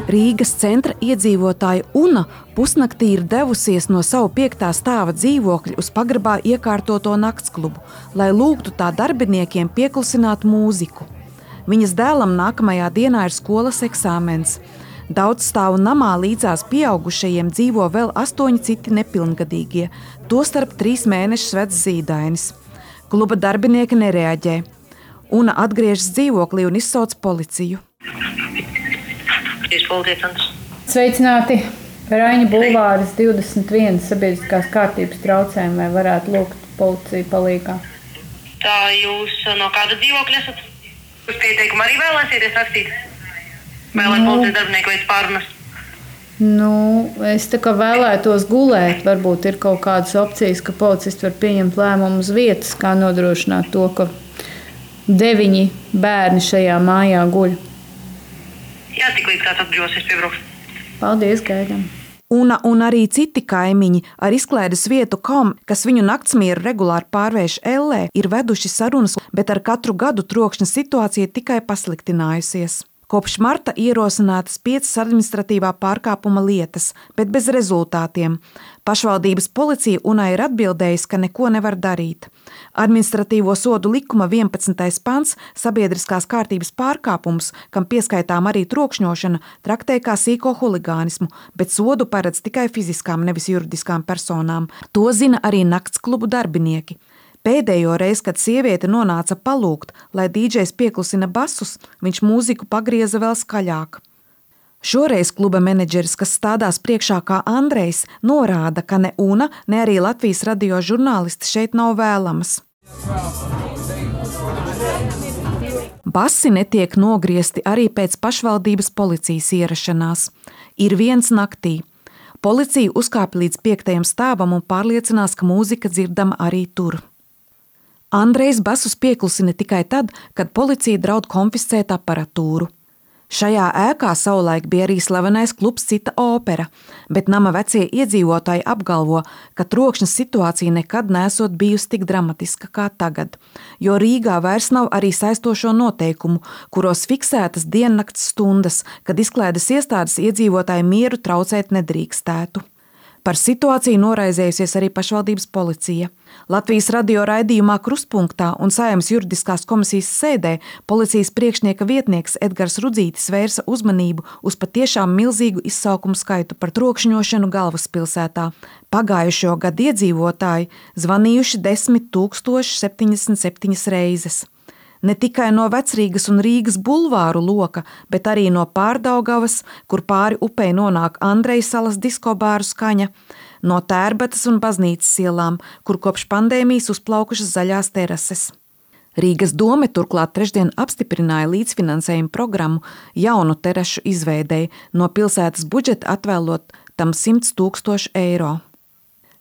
Rīgas centra iedzīvotāja Una pusnaktī ir devusies no savu 5. stāva dzīvokļa uz pagrabā iekārtoto naktsklubu, lai lūgtu tā darbiniekiem pieklusināt mūziku. Viņas dēlam nākamajā dienā ir skolas eksāmens. Daudzstāvu namā līdzās pieaugušajiem dzīvo vēl 8 citi nepilngadīgie, tostarp 3 mēnešus vecs zīdainis. Kluba darbinieki nereaģē. Una atgriežas dzīvoklī un izsauc policiju. Sveicināti! Raņa bulvāris 21 sabiedriskās kārtības traucējumi, vai varētu lūgt policiju palīgā? Tā jūs no kāda dzīvokļa esat? Uz pieteikumu arī vēlēsieties rakstīt? Vai lai policijas darbinieki veic pārunas? Es tā kā vēlētos gulēt. Varbūt ir kaut kādas opcijas, ka policisti var pieņemt lēmumu uz vietas, kā nodrošināt to, ka 9 bērni šajā mājā guļ. Jā, tik līdz kāds atbrīvosies piebrauks. Paldies, gaidām. Una un arī citi kaimiņi ar izklaides vietu kom, kas viņu naktsmieru regulāri pārvērš ellē, ir veduši sarunas, bet ar katru gadu trokšņa situācija tikai pasliktinājusies. Kopš marta ierosinātas 5 administratīvā pārkāpuma lietas, bet bez rezultātiem. Pašvaldības policija Unai ir atbildējusi, ka neko nevar darīt. Administratīvo sodu likuma 11. pants sabiedriskās kārtības pārkāpums, kam pieskaitām arī trokšņošana, traktē kā sīko huligānismu, bet sodu paredz tikai fiziskām, nevis juridiskām personām. To zina arī naktsklubu darbinieki. Pēdējo reizi, kad sieviete nonāca palūgt, lai dīdžejs pieklusina basus, viņš mūziku pagrieza vēl skaļāk. Šoreiz kluba menedžeris, kas stādās priekšā kā Andrejs, norāda, ka ne Una, ne arī Latvijas radio žurnālisti šeit nav vēlamas. Basi netiek nogriezti arī pēc pašvaldības policijas ierašanās. Ir viens naktī. Policija uzkāpa līdz 5. stāvam un pārliecinās, ka mūzika dzirdama arī tur. Andrejs basus pieklusina tikai tad, kad policija draud konfiscēt aparatūru. Šajā ēkā savulaik bija arī slavenais klubs Cita opera, bet nama vecie iedzīvotāji apgalvo, ka trokšņa situācija nekad nesot bijusi tik dramatiska kā tagad, jo Rīgā vairs nav arī saistošo noteikumu, kuros fiksētas diennakts stundas, kad izklaides iestādes iedzīvotāju mieru traucēt nedrīkstētu. Par situāciju noraizējusies arī pašvaldības policija. Latvijas radio raidījumā Kruspunktā un Saeimas juridiskās komisijas sēdē policijas priekšnieka vietnieks Edgars Rudzītis vērsa uzmanību uz patiešām milzīgu izsaukumu skaitu par trokšņošanu galvaspilsētā. Pagājušo gadu iedzīvotāji zvanījuši 10 077 reizes. Ne tikai no Vecrīgas un Rīgas bulvāru loka, bet arī no Pārdaugavas, kur pāri upei nonāk Andrejsalas diskobāru skaņa, no Tērbatas un Baznīcas ielām, kur kopš pandēmijas uzplaukušas zaļās terases. Rīgas dome turklāt trešdien apstiprināja līdzfinansējumu programmu jaunu terašu izveidei, no pilsētas budžeta atvēlot tam 100 000 eiro.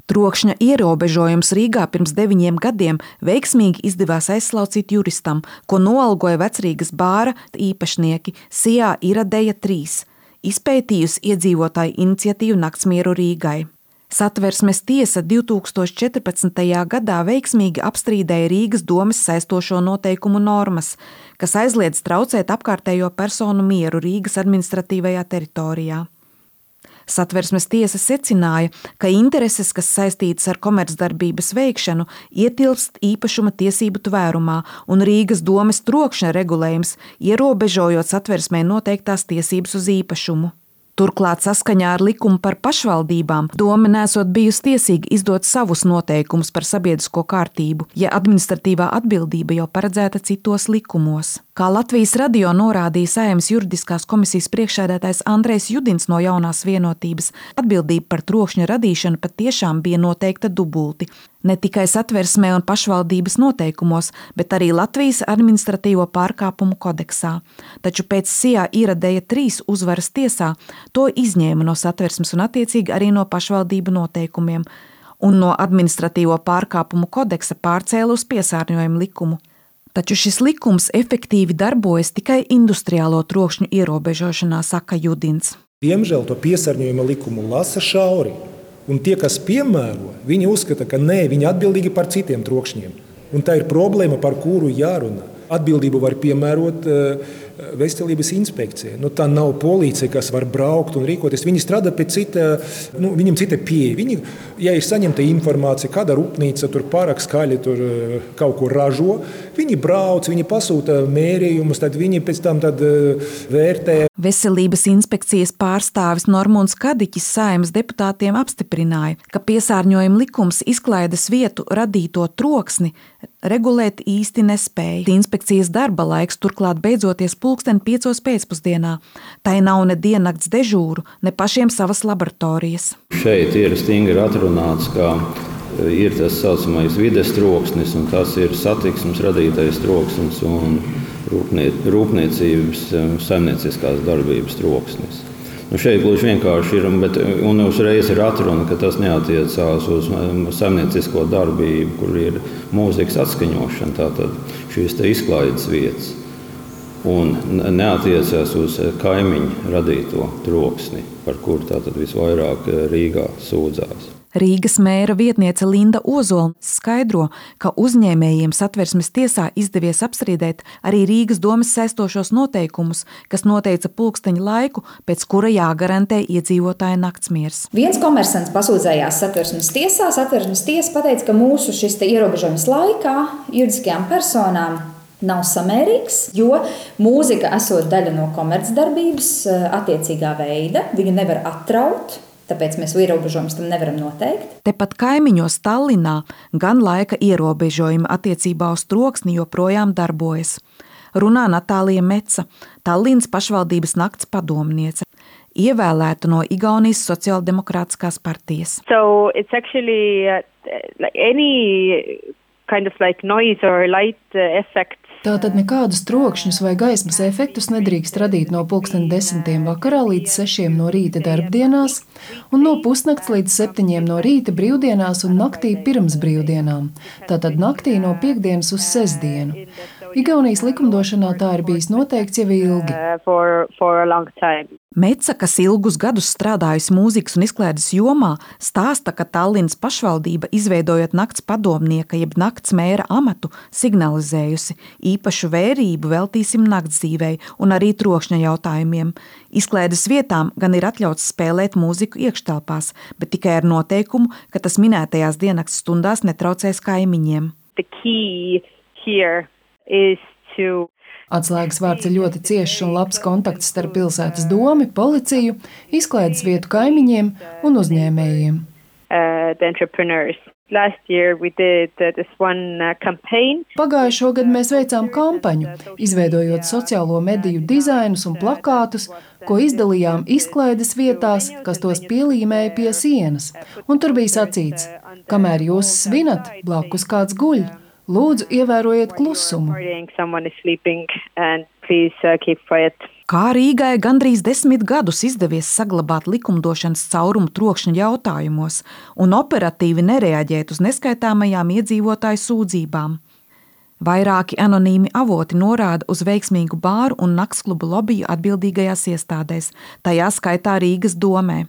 Trokšņa ierobežojums Rīgā pirms 9 gadiem veiksmīgi izdevās aizslaucīt juristam, ko noalgoja Vecrīgas bāra īpašnieki Sijā Iradeja 3, izpētījusi iedzīvotāju iniciatīvu Naktsmieru Rīgai. Satversmes tiesa 2014. gadā veiksmīgi apstrīdēja Rīgas domes saistošo noteikumu normas, kas aizliedz traucēt apkārtējo personu mieru Rīgas administratīvajā teritorijā. Satversmes tiesa secināja, ka intereses, kas saistītas ar komercdarbības veikšanu, ietilpst īpašuma tiesību tvērumā un Rīgas domes trokšņa regulējums, ierobežojot Satversmē noteiktās tiesības uz īpašumu. Turklāt saskaņā ar likumu par pašvaldībām dome nesot bijusi tiesīga izdot savus noteikumus par sabiedrisko kārtību, ja administratīvā atbildība jau paredzēta citos likumos. Kā Latvijas radio norādīja Saeimas juridiskās komisijas priekšsēdētājs Andrejs Judins no Jaunās vienotības, atbildība par trokšņa radīšanu patiešām bija noteikta dubulti. Ne tikai Satversmē un pašvaldības noteikumos, bet arī Latvijas administratīvo pārkāpumu kodeksā. Taču pēc Sijā Iradeja 3 uzvaras tiesā to izņēma no Satversmes un attiecīgi arī no pašvaldību noteikumiem un no administratīvo pārkāpumu kodeksa pārcēla uz piesārņojumu likumu. Taču šis likums efektīvi darbojas tikai industriālo trokšņu ierobežošanā, saka Judins. Diemžēl to piesārņojuma likumu lasa šauri. Un tie, kas piemēro, viņi uzskata, ka nē, viņi atbildīgi par citiem trokšņiem. Un tā ir problēma, par kuru jārunā. atbildību var piemērot veselības inspekcija. Tā nav policija, kas var braukt un rīkoties. Viņi strādā pēc viņam cita pieeja. Viņi, ja ir saņemta informācija, kāda rūpnīca tur pārāk skaļi tur kaut ko ražo, viņi brauc, viņi pasūta mērījumus, tad viņi pēc tam vērtē. Veselības inspekcijas pārstāvis Normons Kadiķis Saeimas deputātiem apstiprināja, ka piesārņojuma likums izklaides vietu radīto troksni regulēt īsti nespēja. Inspekcijas darba laiks turklāt beidzoties 5:00 pēcpusdienā. Tai nav ne diennakts dežūru, ne pašiem savas laboratorijas. Šeit ir stingri atrunāts, ka ir tas saucamais vides troksnis, un tas ir satiksmes radītais troksnis un rūpniecības saimnieciskās darbības troksnis. Šeit gluži vienkārši ir, un uzreiz ir atruna, ka tas neatiecās uz saimniecisko darbību, kur ir mūzikas atskaņošana, tātad šīs izklaides vietas, un neatiecās uz kaimiņu radīto troksni, par kuru tātad visvairāk Rīgā sūdzās. Rīgas mēra vietniece Linda Ozola skaidro, ka uzņēmējiem Satversmes tiesā izdevies apstrīdēt arī Rīgas domes saistošos noteikumus, kas noteica pulksteņa laiku, pēc kura jāgarantē iedzīvotāja naktsmiers. Viens komersants pasūdzējās Satversmes tiesā. Satversmes tiesa pateica, ka mūsu šis ierobežojums laikā juridiskajām personām nav samērīgs, jo mūzika esot daļa no komercdarbības attiecīgā veida, viņu nevar atraut. Tāpēc mēs ierobežojumus tam nevaram noteikt. Tepat kaimiņos Tallinā gan laika ierobežojumi attiecībā uz troksni joprojām darbojas. Runā Natālija Meca, Tallinas pašvaldības nakts padomniece, ievēlēta no Igaunijas sociāldemokrātiskās partijas. So it's actually any kind of noise or light effect. Tātad nekādus trokšņus vai gaismas efektus nedrīkst radīt no 10:00 vakarā līdz 6:00 no rīta darbdienās un no pusnakts līdz 7:00 no rīta brīvdienās un naktī pirms brīvdienām. Tātad naktī no piektdienas uz sestdienu. Igaunijas likumdošanā tā ir bijis noteikts jau ilgi. For a long time. Meca, kas ilgus gadus strādājusi mūzikas un izklaides jomā, stāsta, ka Tallinas pašvaldība, izveidojot nakts padomnieka jeb nakts mēra amatu, signalizējusi īpašu vērību veltīsim naktsdzīvei un arī trokšņa jautājumiem. Izklaides vietām gan ir atļauts spēlēt mūziku iekštelpās, bet tikai ar noteikumu, ka tas minētajās diennakts stundās netraucēs kaimiņiem. The key here is to Atslēgas vārds ir ļoti ciešs un labs kontakts starp pilsētas domi, policiju, izklaides vietu kaimiņiem un uzņēmējiem. The entrepreneurs. Last year we did this one campaign. Pagājušo gadu mēs veicām kampaņu, izveidojot sociālo mediju dizainus un plakātus, ko izdalījām izklaides vietās, kas tos pielīmēja pie sienas. Un tur bija sacīts, kamēr jūs svinat, blakus kāds guļ. Lūdzu, ievērojiet klusumu. Kā Rīgai gandrīz 10 gadus izdevies saglabāt likumdošanas caurumu trokšņa jautājumos un operatīvi nereaģēt uz neskaitāmajām iedzīvotāju sūdzībām. Vairāki anonīmi avoti norāda uz veiksmīgu bāru un naktsklubu lobiju atbildīgajās iestādēs, tajā skaitā Rīgas domē.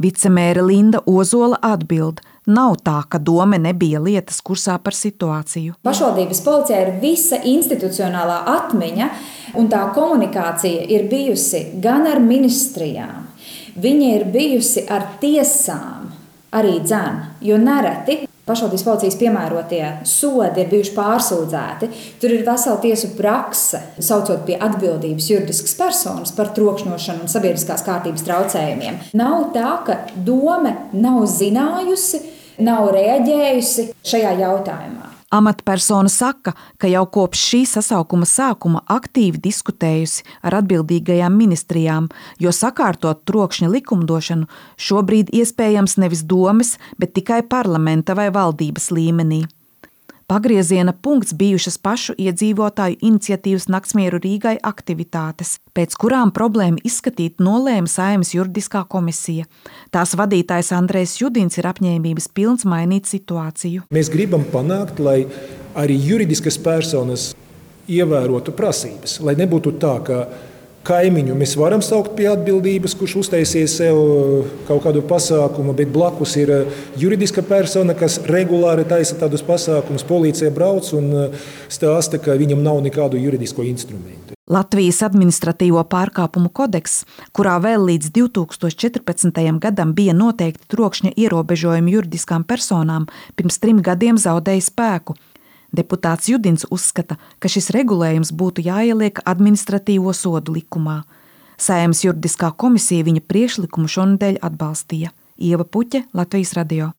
Vicemēre Linda Ozola atbild, nav tā, ka dome nebija lietas kursā par situāciju. Pašvaldības policijā ir visa institucionālā atmiņa, un tā komunikācija ir bijusi gan ar ministrijām, viņa ir bijusi ar tiesām, arī dzēn, jo nereti pašvaldības policijas piemērotie sodi ir bijuši pārsūdzēti. Tur ir vesela tiesu prakse, saucot pie atbildības juridiskas personas par trokšņošanu un sabiedriskās kārtības traucējumiem. Nav tā, ka dome nav zinājusi, nav reaģējusi šajā jautājumā. Amatpersona saka, ka jau kopš šī sasaukuma sākuma aktīvi diskutējusi ar atbildīgajām ministrijām, jo sakārtot trokšņa likumdošanu šobrīd iespējams nevis domes, bet tikai parlamenta vai valdības līmenī. Pagrieziena punkts bijušas pašu iedzīvotāju iniciatīvas Naktsmieru Rīgai aktivitātes, pēc kurām problēmu izskatīt nolēma Saeimas juridiskā komisija. Tās vadītājs Andrejs Judins ir apņēmības pilns mainīt situāciju. Mēs gribam panākt, lai arī juridiskas personas ievērotu prasības, lai nebūtu tā, ka Kaimiņu mēs varam saukt pie atbildības, kurš uztaisies sev kaut kādu pasākumu, bet blakus ir juridiska persona, kas regulāri taisa tādus pasākumus. Policija brauc un stāsta, ka viņam nav nekādu juridisko instrumentu. Latvijas administratīvo pārkāpumu kodeks, kurā vēl līdz 2014. gadam bija noteikti trokšņa ierobežojumi juridiskām personām, pirms 3 gadiem zaudēja spēku. Deputāts Judins uzskata, ka šis regulējums būtu jāieliek administratīvo sodu likumā. Saeimas juridiskā komisija viņa priekšlikumu šonedēļ atbalstīja. Ieva Puķe, Latvijas radio.